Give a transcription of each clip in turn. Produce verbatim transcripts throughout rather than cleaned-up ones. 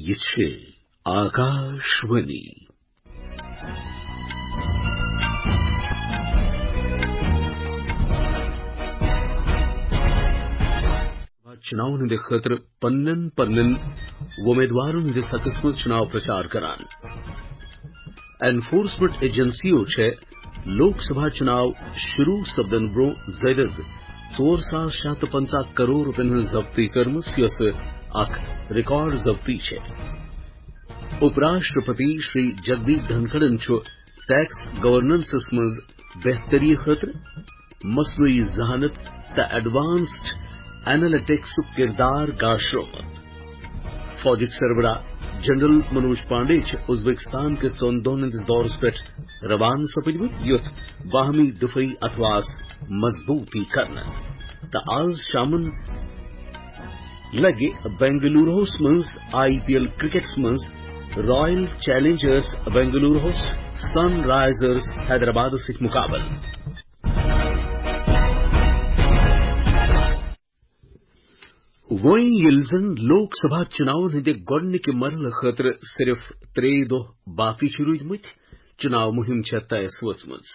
یہِ چھِ آکاشوانی۔ چُناون ہٕنٛدِ خٲطرٕ پننٮ۪ن پننٮ۪ن وۄمیدوارن ہٕنٛدِس حقس منٛز چُناو پرچار کران۔ انفورسمنٹ ایجنسیو چھےٚ لوک سبھا چُناو شروع سپدن برونٛہہ زٲیدس ژور ساس شےٚ ہتھ تہٕ پنٛژاہ کرور رۄپین ہٕنٛز ضبطی کٔرمٕژ، یۄس اکھ ریکارڈ ضبطی چھےٚ۔ اُپ راشٹرپتی شری جگدیپ دھنکھڑن چھُ ٹیکس گورننسس منٛز بہتری خٲطرٕ مصنوعی ذہانت تہٕ ایڈوانسڈ اینالیٹکسُک کردار گاشرومُت۔ فوجٕکۍ سربراہ جنرل منوج پانڈے چھِ ازبکستان کِس ژۄن دۄہن ہٕنٛدِس دورس پٮ۪ٹھ روانہٕ سپٕدمٕتۍ، یُتھ باہمی دفٲعی اتھواہس مضبوطی کرنہٕ۔ تہٕ آز شامن لگہِ بنگلوروہس منٛز آئی پی ایل کرکٹس منٛز رائل چیلنجرز بنگلوروہس سن رائزرز حیدرآبادس سۭتۍ مقابلہٕ۔ وۄنۍ ییٚلہِ زن لوک سبھا چُناون ہٕنٛدِ گۄڈٕنِکہِ مرحلہٕ خٲطرٕ صرف ترٛےٚ دۄہ باقٕے چھِ روٗدمٕتۍ، چُناو مُہِم چھےٚ طے ٲس وٲژمٕژ۔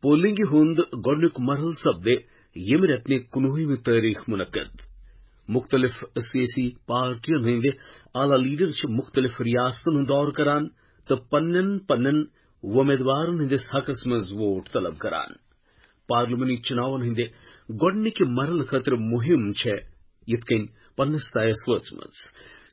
پولنگہِ ہُنٛد گۄڈٕنیُک مرحلہٕ سپدِ ییٚمہِ رٮ۪تہٕ کُنوُہمہِ تٲریخ منعقد۔ مُختٔلِف سیٲسی پارٹین ہٕنٛدۍ اعلیٰ لیڈر چھِ مُختٔلِف ریاستن ہُنٛد دورٕ کران تہٕ پننٮ۪ن پننٮ۪ن وۄمیدوارن ہٕنٛدِس حقس منٛز ووٹ طلب کران۔ پارلیمانی چُناون ہٕنٛدِ گۄڈٕنِکہِ مرحلہٕ خٲطرٕ مُہِم چھےٚ یِتھ کٔنۍ پننِس طے ٲس وٲژمٕژ۔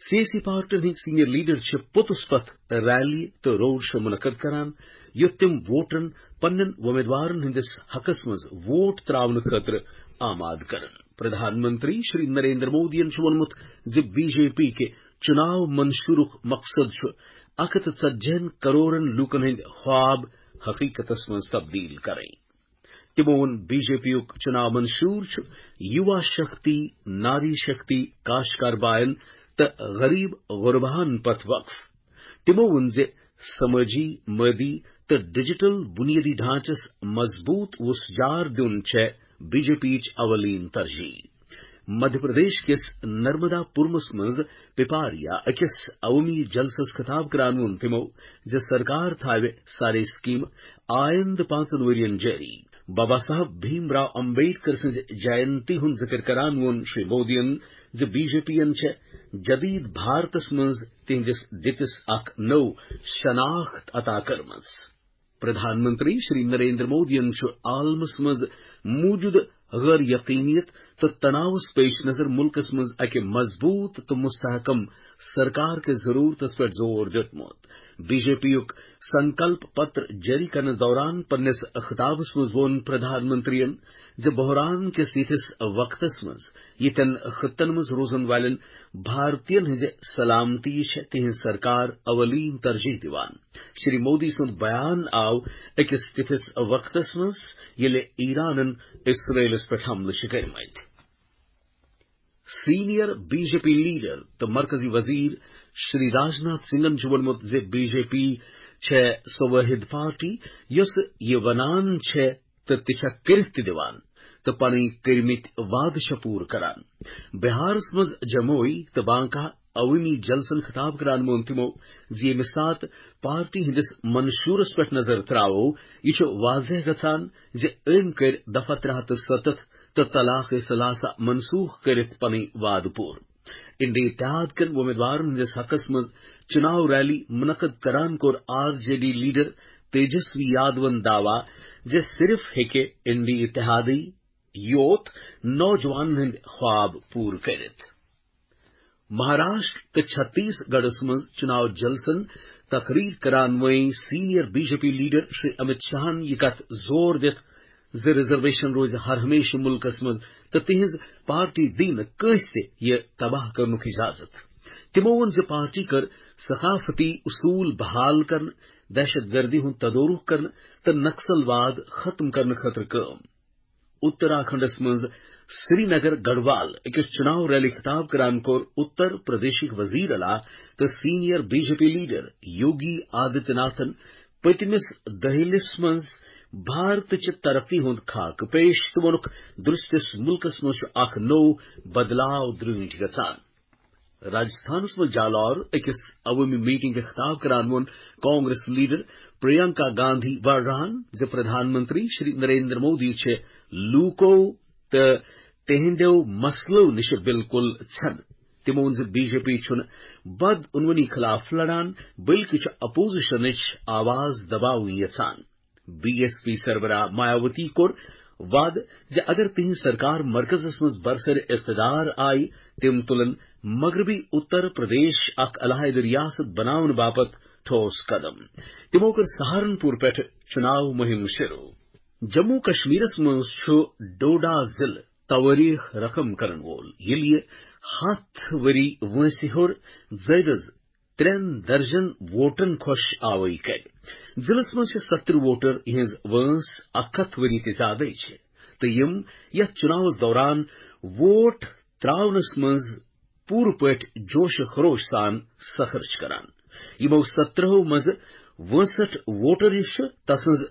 سیٲسی پارٹین ہٕنٛدۍ سینئر لیڈر چھِ پوٚتُس پتھ ریلی تہٕ روڈ شو منعقد کران، یوٚت تِم ووٹرن پننٮ۪ن وۄمیدوارن ہٕنٛدِس حقس منٛز ووٹ تراونہٕ خٲطرٕ آماد کرن۔ پردھان منتری شری نریندر مودیَن چھُ ووٚنمُت زِ بی جے پی کہِ چُناو منشورُک مقصد چھُ اکھ ہتھ تہٕ ژتجی ہن کرورن لوٗکن ہٕنٛدۍ خواب حقیقتس منٛز تبدیل کرٕنۍ۔ تِمو ووٚن، بی جے پی یُک چُناو منشور چھُ یُوا شکتی، ناری شکتی، کاشکار باین تہٕ غریب غرباہن پتھ وقف۔ تِمو ووٚن زِ سمٲجی، مٲدی تہٕ ڈیجیٹل بنیٲدی ڈھانچس مضبوط وُژھ جار دیُن چھےٚ بی جے پی یِچ اولین ترجیح۔ مدھیہ پردیش کِس نرمدا پورمس منٛز پپاریا أکِس عوٲمی جلسس خطاب کران ووٚن تِمو زِ سرکار تھاوِ سارے سکیمہٕ آیندٕ پانٛژن ؤرین جٲری۔ بابا صاحب بھیم راو امبیڈکر سٕنٛزِ جینتی ہُنٛد ذِکر کران ووٚن شری مودیَن زِ بی جے پی یَن چھےٚ جدید بھارتس منٛز تِہنٛدِس دِتِس اکھ نٔو شناخت عطا کٔرمٕژ۔ پردھان منتری شری نریندر مودیَن چھُ عالمس منٛز موجودٕ غٲر یقینیت تہٕ تناوس پیش نظر مُلکس منٛز اکہِ مضبوط تہٕ مستحکم سرکار کِس ضرورتس پٮ۪ٹھ زور دیُتمُت۔ بی جے پی یُک سنکلپ پتر جٲری کرنس دوران پننِس خطابس منٛز ووٚن پردھان منتریَن زِ بحران کِس یِتھِس وقتس منٛز یِتھٮ۪ن خطن منٛز روزن والٮ۪ن بھارتین ہٕنٛزِ سلامتی چھےٚ تِہنٛز سرکار اولین ترجیح دِوان۔ شری مودی سُنٛد بیان آو أکِس تِتھِس وقتس منٛز ییٚلہِ ایرانن اسرائیلس پٮ۪ٹھ حملہٕ چھِ کٔرمٕتۍ۔ Senior B J P leader تہٕ مرکزی وزیر شری راجناتھ سنگھن چھُ ووٚنمُت زِ بی جے پی چھےٚ سۄ وٲحد پارٹی یۄسہٕ یہِ ونان چھےٚ تہٕ تہِ چھےٚ کٔرِتھ تہِ دِوان تہٕ پنٕنۍ کٔرمٕتۍ وعدٕ چھےٚ پوٗرٕ کران۔ بہارس منٛز جموئی تہٕ بانکا عوٲمی جلسن خطاب کران ووٚن تِمو زِ ییٚمہِ ساتہٕ پارٹی ہٕنٛدِس منشورس پٮ۪ٹھ نظر تراوو، یہِ چھُ واضح گژھان زِ أمۍ کٔرۍ دفعہ ترٛےٚ ہتھ تہٕ ستتھ تہٕ طلاق ثلاثہ منسوخ کٔرِتھ پنٕنۍ وعدٕ پوٗرٕ۔ انڈی اتحاد کٮ۪ن وۄمیدوارن ہٕنٛدِس حقس منٛز چُناو ریلی منعقد کران کوٚر R J D leader Tejashwi یادون دعویٰ زِ صرف ہیٚکہِ انڈی اتحادٕے یوت نوجوانن ہٕنٛدۍ خواب پوٗرٕ کٔرِتھ۔ مہاراشٹر تہٕ چھتیس گڑھس منٛز چُناو جلسن تقریر کران وٲنۍ senior B J P leader Shri Amit شاہن یہِ کتھ زور دِتھ زِ ریزرویشن روزِ ہر ہمیشہٕ مُلکس منٛز تہٕ تِہنٛز پارٹی دِیہِ نہٕ کٲنٛسہِ تہِ یہِ تباہ کرنُک اجازت۔ تِمو ووٚن زِ پارٹی کٔر ثقافتی اصوٗل بحال کرنہٕ، دہشت گردی ہُنٛد تدورُک کرنہٕ تہٕ نکسل واد ختم کرنہٕ خٲطرٕ کٲم۔ اتراکھنڈس منٛز سرینگر گڑھوال أکِس چُناو ریلی خطاب کران کوٚر اتر پردیشٕکۍ وزیر اعلیٰ تہٕ senior B J P leader Yogi Aditya ناتھن پٔتمِس دٔہلِس منٛز بھارتٕچہِ ترقی ہُنٛد خاکہٕ پیش تہٕ ووٚنُکھ، درستِس مُلکس منٛز چھُ اکھ نوٚو بدلاو درٲنٹھۍ گژھان۔ راجستھانس منٛز جالور أکِس عوٲمی میٹنگ خطاب کران ووٚن کانگریس لیڈر پریانکا گاندھی واڈراہن زِ پردھان منتری شری نریندر مودی چھِ لوٗکو تہٕ تِہنٛدیو مسلو نِش بالکل ژھٮ۪نہٕ۔ تِمو ووٚن زِ بی جے پی چھُنہٕ بدعنوٲنی خلاف لڑان، بلکہِ چھُ اپوزیشنٕچ آواز دباوٕنۍ یژھان۔ بی ایس پی سربراہ مایاوتی کوٚر وعدٕ زِ اگر تِہنٛز سرکار مرکزس منٛز برسر اقتدار آیہِ، تِم تُلن مغربی اتر پردیش اکھ علیحدٕ ریاست بناونہٕ باپتھ ٹھوس قدم۔ تِمو کٔر سہارنپور پٮ۪ٹھ چُناو مُہِم شروٗع۔ جموں کشمیرس منٛز چھُ ڈوڈا ضلعہٕ توٲریخ رقم کرن وول، ییٚلہِ یہِ ہَتھ ؤری وٲنٛسہِ ہیوٚر زٲیدس ترٛٮ۪ن درجن ووٹرن خۄش آوٲیی کرِ۔ ضلعس منٛز چھِ ستترٕہ ووٹر، یِہنٛز وٲنٛس اکھ ہَتھ ؤری تہِ زیادٕے چھِ، تہٕ یِم یتھ چُناوس دوران ووٹ تراونس منٛز پوٗرٕ پٲٹھۍ جوش و خروش سان سفر چھِ کران۔ یِمو ستترٕہو منٛزٕ وٲنٛسٹھ ووٹر یُس چھُ، تسٕنٛز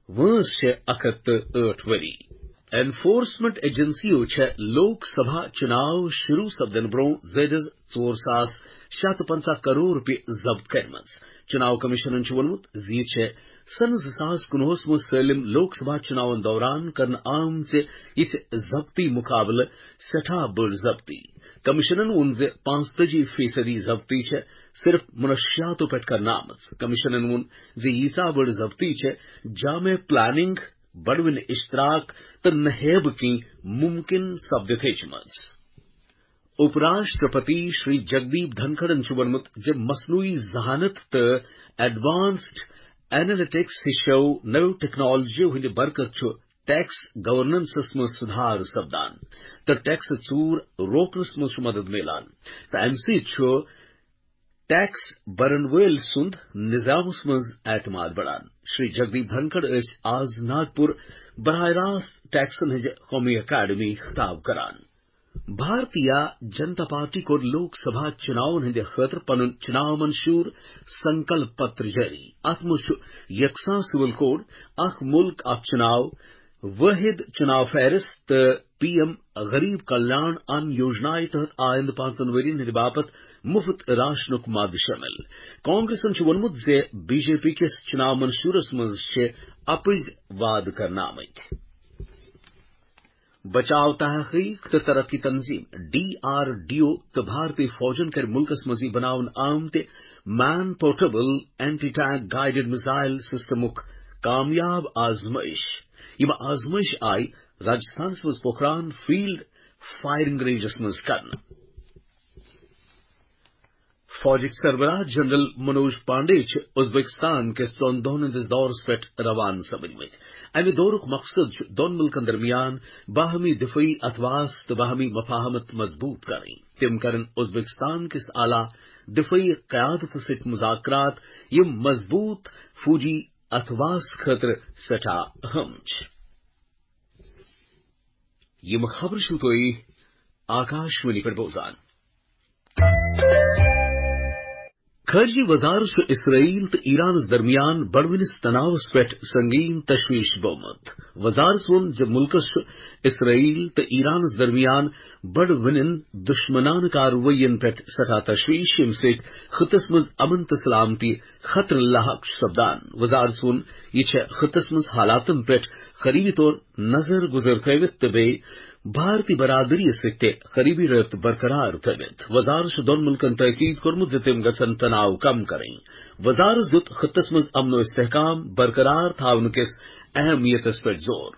وٲنٛس چھِ اکھ ہَتھ تہٕ ٲٹھ ؤری۔ انفورسمنٹ ایجنسیو چھےٚ لوک سبھا چُناو شروع سپدن برٛونٛہہ زٲیدس ژور ساس شےٚ ہَتھ تہٕ پنٛژاہ کرور رۄپیہِ ضبط کٔرمٕژ۔ چُناو کمیشنن چھُ ووٚنمُت زِ یہِ چھےٚ سنہٕ زٕ ساس کُنوُہس منٛز سٲلِم لوک سبھا چُناون دوران کرنہٕ آمژِ یِژھِ ضبطی مُقابلہٕ سٮ۪ٹھاہ بٔڑ ضبطی۔ کمیشنن ووٚن زِ پانٛژتٲجی فیصدی ضبطی چھےٚ صرف منشیاتو پٮ۪ٹھ کرنہٕ آمٕژ۔ کمیشنن ووٚن زِ ییٖژاہ بٔڑ ضبطی چھےٚ جامع پلاننگ، بڑوٕنۍ اشتراک تہٕ نہیب کِنۍ ممکن سپدِتھ ہیٚچمٕژ۔ اپ راشٹرپتی شری جگدیپ دھنکھڑن چھُ ووٚنمُت زِ مصنوعی ذہانت تہٕ ایڈوانسڈ اینالٹکس ہِشو نٔو ٹیکنالوجیو ہٕنٛدِ برکت چھُ ٹیکس گورننسس منٛز سُدھار سپدان تہٕ ٹیکس ژوٗر روکنس منٛز چھُ مدد میلان، تہٕ امہِ سۭتۍ چھُ ٹیکس برن وٲلۍ سُنٛد نظامس منٛز اعتماد بڑان۔ شری جگدیپ دھنکھڑ ٲسۍ آز ناگپور براہ راست ٹیکسن ہٕنٛزِ قومی اکیڈمی خطاب کران۔ بھارتیہ جنتا پارٹی کوٚر لوک سبھا چُناون ہٕنٛدِ خٲطرٕ پنُن چُناو منشور سنکلپ پتر جٲری۔ اتھ منٛز چھُ یکساں سول کوڈ، اکھ مُلک اکھ چُناو، وٲحد چُناو فہرست تہٕ پی ایم غریب کلیان ان یوجنایہِ تحت آیندٕ پانٛژن ؤرین ہٕنٛدِ باپتھ مُفت راشنُک مادٕ شٲمِل۔ کانگریسن چھُ ووٚنمُت زِ بی جے پی کِس چُناو منشورس منٛز چھِ اپٕزۍ وعدٕ کرنہٕ آمٕتۍ۔ بچاو تحقیق تہٕ ترقی تنظیم، ڈی آر ڈی او، تہٕ بھارتی فوجن کٔرۍ مُلکس منٛزٕے بناونہٕ آمتہِ man portable anti tank guided missile سسٹمُک کامیاب آزمٲیش۔ یِم آزمٲیش آیہِ راجستھانس منٛز پوکھران فیلڈ فائرنگ رینجس منٛز کرنہٕ۔ فوجٕکۍ سربراہ جنرل منوج پانڈے چھِ ازبکستان کِس ژۄن دۄہن ہٕنٛدِس دورس پٮ۪ٹھ روانہٕ سپدمٕتۍ۔ امہِ دورُک مقصد چھُ دۄن مُلکن درمیان باہمی دفٲعی اتھواس تہٕ باہمی مفاہمت مضبوط کرٕنۍ۔ تِم کرن ازبکستان کِس اعلیٰ دفٲعی قیادتس سۭتۍ مذاکرات، یِم مضبوط فوجی اتھواس خٲطرٕ سٮ۪ٹھاہ اہم چھِ۔ یِم خبرٕ چھِو تُہۍ آکاشوانی پٮ۪ٹھ بوزان۔ خارجہ وزارت چھُ اسرائیل تہٕ ایرانس درمیان بڑوٕنس تناوس پٮ۪ٹھ سنگین تشویش بومت۔ وزارت ووٚن زِ مُلکس چھُ اسرائیل تہٕ ایرانس درمیان بڑوٕنٮ۪ن دشمنانہٕ کاروٲیین پٮ۪ٹھ سٮ۪ٹھاہ تشویش، ییٚمہِ سۭتۍ خطس منٛز امن تہٕ سلامتی خطرٕ لاحق چھُ سپدان۔ وزارت ووٚن، یہِ چھےٚ خطس منٛز حالاتن پٮ۪ٹھ قریبی طور نظر گزر تھٲوِتھ تہٕ بیٚیہِ بھارتی برادری سۭتۍ تہِ قریبی رٲبطہٕ برقرار تھٲوِتھ۔ وزارت چھُ دۄن مُلکن تٲکید کوٚرمُت زِ تِم گژھن تناو کم کرٕنۍ۔ وزارت دیُت خطس منٛز امن و استحکام برقرار تھاونہٕ کِس اہمیتس پٮ۪ٹھ زور۔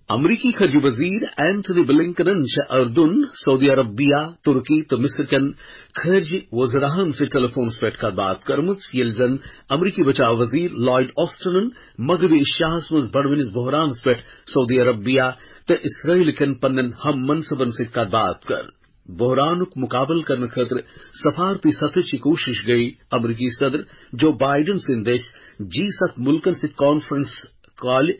امریکی خارجہ وزیر اینتھنی بلنکنن چھےٚ اردن، سعودی عربیہ، ترکی تہٕ مصر کٮ۪ن خارجہ وزراہن سۭتۍ ٹیلی فونس پٮ۪ٹھ کتھ باتھ کٔرمٕژ، ییٚلہِ زن امریکی بچاو وزیر لائیڈ آسٹنن مغربی ایشیاہس منٛز بڑوٕنس بحرانس پٮ۪ٹھ سعودی عربیہ تہٕ اسرائیل کٮ۪ن پننٮ۪ن ہم منصبن سۭتۍ کتھ باتھ کٔر۔ بحرانُک مقابلہٕ کرنہٕ خٲطرٕ سفارتی سطحٕچ کوٗشش گٔیہِ امریکی صدر جو بائیڈن سٕنٛدِ دٔسۍ جی ستھ مُلکن سۭتۍ کانفرنس کالہِ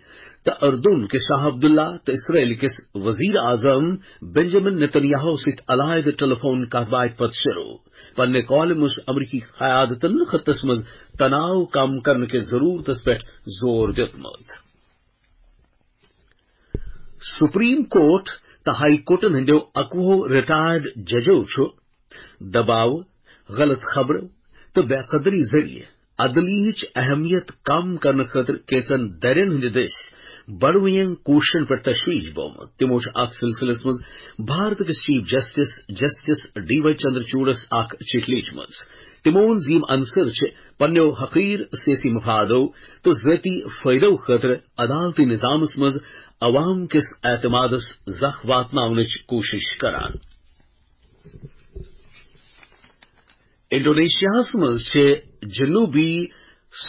تہٕ اردن کِس شاہ عبداللہ تہٕ اسرائیل کِس وزیر اعظم بنجامن نیتن یاہو سۭتۍ علیحدٕ ٹیلی فون کتھ باتھ پتہٕ شروع۔ پننہِ کالہِ منٛز چھُ امریکی قیادتن خطس منٛز تناو کم کرنہٕ کِس ضرورتس پٮ۪ٹھ زور دیُتمُت۔ سپریم کورٹ تہٕ ہائی کورٹن ہٕنٛدیو اَکوُہو ریٹائرڈ ججو چھُ دباو، غلط خبرو تہٕ بے قدری ذٔریعہٕ عدلیہٕچ اہمیت کم کرنہٕ خٲطرٕ کینٛژن دٔرین ہٕنٛدِ دٔسۍ بڑوٕنٮ۪ن کوٗششن پٮ۪ٹھ تشویش بومُت۔ تِمو چھُ اتھ سلسلس منٛز بھارت کِس chief justice, justice D Y چندرچوڑس اکھ چِٹھۍ لیٖچھمٕژ۔ تِمو ووٚن زِ یِم عنصر چھِ پننیو حقیر سیٲسی مفادو تہٕ ذٲتی فٲیدو خٲطرٕ عدالتی نظامس منٛز عوام کِس اعتمادس زکھ واتناونٕچ کوٗشش کران۔ انڈونیشیاہس منٛز چھِ جنوبی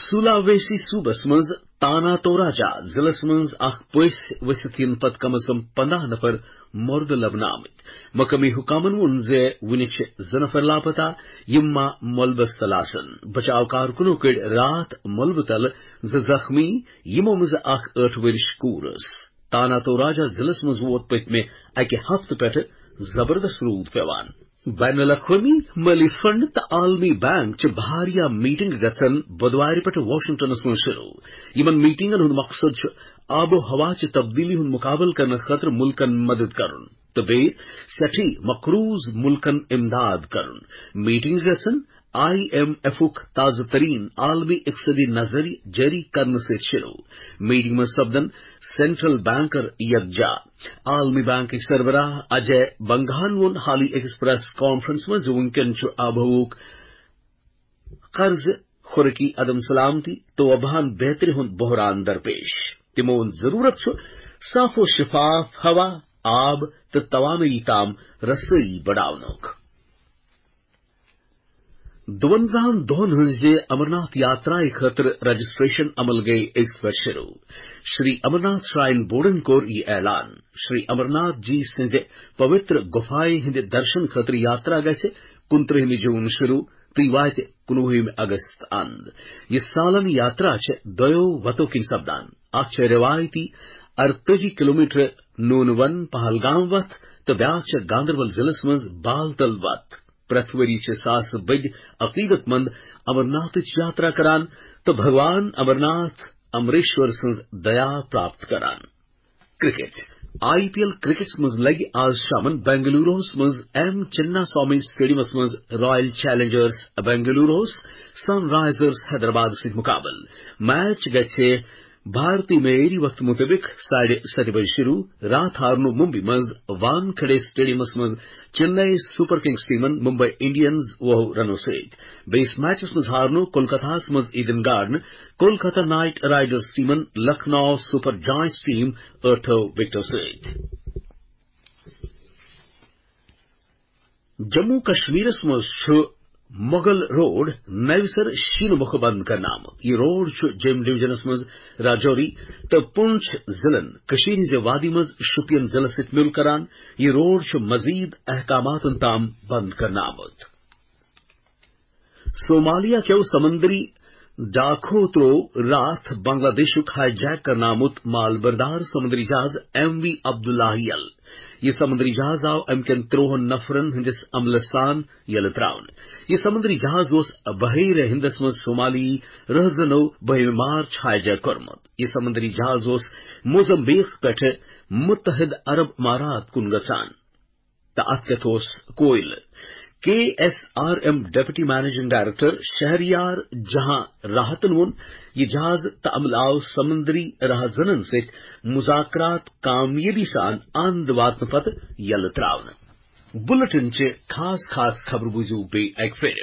سولاویسی صوبس منٛز تانا توراجا ضلعس منٛز اکھ پٔژھۍ ؤسِتھ یِنہٕ پتہٕ کم از کم پنداہ نفر مردٕ لبنہٕ آمٕتۍ۔ مقٲمی حکامن ووٚن زِ وُنہِ چھِ زٕ نفر لاپتہ، یِم ما ملبس تل آسن۔ بچاو کارکنو کٔڑۍ راتھ ملبہٕ تل زٕ زخمی، یِمو منٛزٕ اکھ ٲٹھ ؤرِش کوٗر ٲس۔ تانا توراجا ضلعس منٛز ووت پٔتمہِ اکہِ ہفتہٕ پٮ۪ٹھٕ زبردست روٗد پٮ۪وان۔ بین الاقوٲمی مٲلی فنڈ تہٕ عالمی بینک چہِ بھاریا میٹنگ گژھن بدوارِ پٮ۪ٹھٕ واشنگٹنس منٛز شروع۔ یِمن میٹنگن ہُنٛد مقصد چھُ آب و ہوا چہِ تبدیلی ہُنٛد مقابلہٕ کرنہٕ خٲطرٕ مُلکن مدد کرُن تہٕ بیٚیہِ سٮ۪ٹھٕے مقروض مُلکن امداد کرُن۔ میٹنگ گژھن آئی ایم ایفُک تازٕ تریٖن عالمی اقتصٲدی نظریہ جٲری کرنہٕ سۭتۍ شروع۔ میٹنگ منٛز سپدن سینٹرل بینکر یکجا۔ عالمی بینکٕکۍ سربراہ اجے بنگاہن ووٚن حالٕے أکِس پریس کانفرنس منٛز زِ وُنکٮ۪ن چھُ آبہٕ ہوہُک قرض، خوراکی عدم سلامتی تہٕ وباہن بہتری ہُنٛد بحران درپیش۔ تِمو ووٚن، ضروٗرت چھُ صاف و شفاف ہوا، آب تہٕ توانٲیی تام رسٲیی بڑاونُک۔ دُوَنزاہَن دۄہَن ہٕنٛزِ امرناتھ یاترایہِ خٲطرٕ رجسٹریشن عمل گٔیہِ أزۍ پٮ۪ٹھ شروع۔ شری امرناتھ شراین بورڈن کوٚر یہِ اعلان۔ شری امرناتھ جی سٕنٛزِ پوتر گُفایہِ ہٕنٛدِ درشن خٲطرٕ یاترا گژھِ کُنترٕہمہِ جوٗن شروع تہٕ واتہِ کُنوُہمہِ اگست اند۔ یہِ سالن یاترا چھِ دۄیو وتو کِنۍ سپدان۔ اکھ چھِ روایتی ارتٲجی کلومیٹر نون ون پہلگام وتھ تہٕ بیاکھ چھِ گاندربل ضلعس منٛز بالتل وتھ۔ پرٛٮ۪تھ ؤری چھِ ساسہٕ بٔدۍ عقیدت مند امرناتھٕچ یاترا کران تہٕ بھگوان امرناتھ امریشور سٕنٛز دیا پراپت کران۔ کرکٹ۔ آئی پی ایل کرکٹس منٛز لگہِ آز شامن بنگلوروہس منٛز ایم چنا سوامی سٹیڈیمس منٛز رائل چیلنجرز بنگلوروہس سن رائزرز حیدرآباد سۭتۍ مقابلہٕ۔ میچ گژھِ بھارتی معیاری وقت مطٲبق ساڑھے ستہِ بجہِ شروع۔ راتھ ہارنو ممبئی منٛز وانکھڑے سٹیڈیمس منٛز چنئی سپر کنگز ٹیمن ممبئی انڈینز وُہو رنو سۭتۍ۔ بیٚیِس میچس منٛز ہارنو کولکتہس منٛز Eden garden Kolkata knight riders ٹیمن لکھنؤ سپر جائنٹس ٹیم ٲٹھو وکٹو سۭتۍ۔ جموں کشمیرس منٛز چھُ مغل روڈ نوِ سرٕ شیٖنہٕ مۄکھٕ بنٛد کرنہٕ آمُت۔ یہِ روڈ چھُ جوٚم ڈویژنس منٛز راجوری تہٕ پونچھ ضلعن کٔشیٖرِ ہٕنٛزِ وادی منٛز شوپین ضلعس سۭتۍ مِل کران۔ یہِ روڈ چھُ مزید احکاماتن تام بنٛد کرنہٕ آمُت۔ صومالیہ کیو سمندری ڈاکھو تروو راتھ بنگلہ دیشُک ہائی جیک کرنہٕ آمُت مال بردار سمندری جہاز ایم وی عبداللہ یل۔ یہِ سمندری جہاز آو امہِ کٮ۪ن ترٛوہن نفرن ہٕنٛدِس عملس سان یلہٕ ترٛاونہٕ۔ یہِ سمندری جہاز اوس بحیرہ ہندس منٛز صومالی رہزنو بٔہمہِ مارچ ہائی جیک کوٚرمُت۔ یہِ سمندری جہاز اوس موزمبیق پٮ۪ٹھٕ متحد عرب امارات کُن گژھان۔ تہٕ اتھ کیتھ اوس کویلہٕ۔ K S R M deputy managing director Shahryar جہاں راحتن ووٚن، یہِ جہاز تہٕ عملہٕ آو سمندری رہزنن سۭتۍ مذاکرات کامیٲبی سان اند واتنہٕ پتہٕ یلہٕ ترٛاونہٕ۔ بُلٹن چہِ خاص خاص خبرٕ بوٗزِو بیٚیہِ اکہِ پھِرِ۔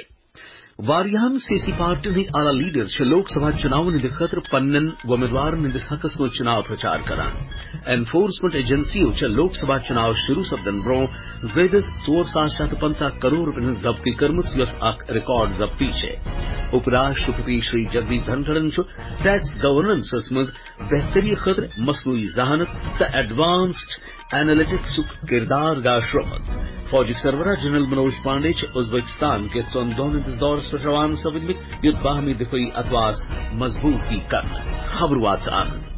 واریاہن سیٲسی پارٹین ہٕنٛدۍ اعلیٰ لیڈر چھِ لوک سبھا چُناون ہٕنٛدِ خٲطرٕ پننٮ۪ن وۄمیدوارن ہٕنٛدِس حقس منٛز چُناو پرچار کران۔ انفورسمنٹ ایجنسیو چھےٚ لوک سبھا چُناو شروع سپدن برونٛہہ زٲیدس ژور ساس شےٚ ہتھ تہٕ پنٛژاہ کرور رۄپین ہٕنٛز ضبطی کٔرمٕژ، یۄس اکھ ریکارڈ ضبطی چھےٚ۔ اُپ راشٹرپتی شری جگدیپ دھنکھڑن چھُ ٹیکس گورننسس منٛز بہتری خٲطرٕ مصنوعی ذہانت تہٕ ایڈوانسڈ اینالیٹکسُک کردار گاشرومُت۔ فوجٕکۍ سربراہ جنرل منوج پانڈے چھِ ازبکستان کِس ژۄن دۄہن ہٕنٛدِس دورس پٮ۪ٹھ روانہٕ سپٕدمٕتۍ، یُتھ باہمی دفٲعی اتواس مضبوط یی کرنہٕ۔ خبر واژان۔